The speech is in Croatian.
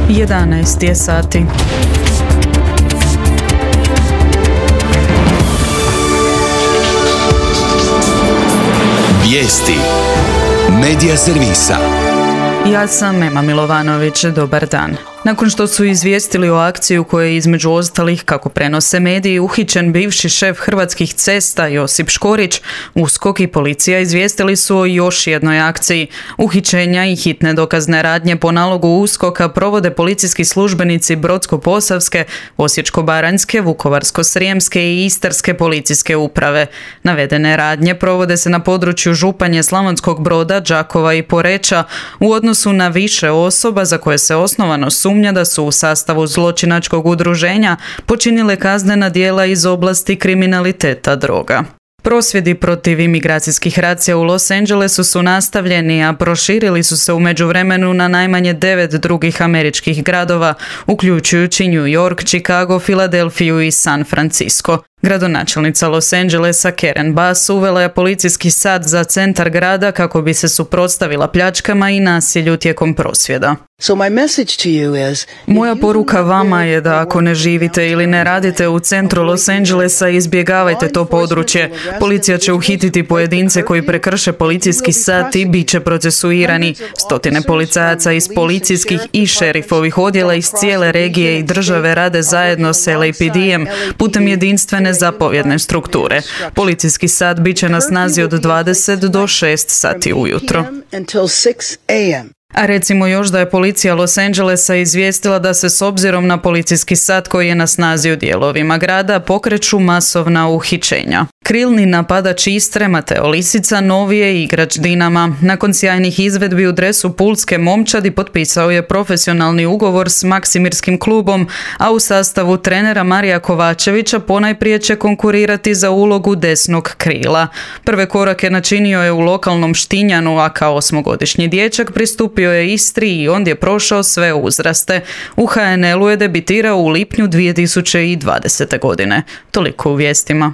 11 je sati. Vijesti Medija servisa. Ja sam Ema Milovanović, dobar dan. Nakon što su izvijestili o akciji u kojoj je između ostalih, kako prenose mediji, uhićen bivši šef Hrvatskih cesta Josip Škorić, USKOK i policija izvijestili su o još jednoj akciji. Uhićenja i hitne dokazne radnje po nalogu USKOK-a provode policijski službenici Brodsko-posavske, Osječko-baranjske, Vukovarsko-srijemske i Istarske policijske uprave. Navedene radnje provode se na području Županje, Slavonskog Broda, Đakova i Poreča u odnosu na više osoba za koje se osnovano sumnja da su u sastavu zločinačkog udruženja počinile kaznena djela iz oblasti kriminaliteta droga. Prosvjedi protiv imigracijskih racija u Los Angelesu su nastavljeni, a proširili su se u međuvremenu na najmanje 9 drugih američkih gradova, uključujući New York, Chicago, Filadelfiju i San Francisco. Gradonačelnica Los Angelesa Karen Bass uvela je policijski sat za centar grada kako bi se suprotstavila pljačkama i nasilju tijekom prosvjeda. Moja poruka vama je da ako ne živite ili ne radite u centru Los Angelesa, izbjegavajte to područje. Policija će uhititi pojedince koji prekrše policijski sat i bit će procesuirani. Stotine policajaca iz policijskih i šerifovih odjela iz cijele regije i države rade zajedno s LAPD-em putem jedinstvene zapovjedne strukture. Policijski sat bit će na snazi od 20 do 6 sati ujutro. A recimo još da je policija Los Angelesa izvijestila da se s obzirom na policijski sat koji je na snazi u dijelovima grada pokreću masovna uhićenja. Krilni napadač Istre Mateo Lisica novi je igrač Dinama. Nakon sjajnih izvedbi u dresu pulske momčadi potpisao je profesionalni ugovor s Maksimirskim klubom, a u sastavu trenera Marija Kovačevića ponajprije će konkurirati za ulogu desnog krila. Prve korake načinio je u lokalnom Štinjanu, a kao 8-godišnji dječak pristupio je Istri i ondje prošao sve uzraste. U HNL-u je debitirao u lipnju 2020. godine. Toliko u vijestima.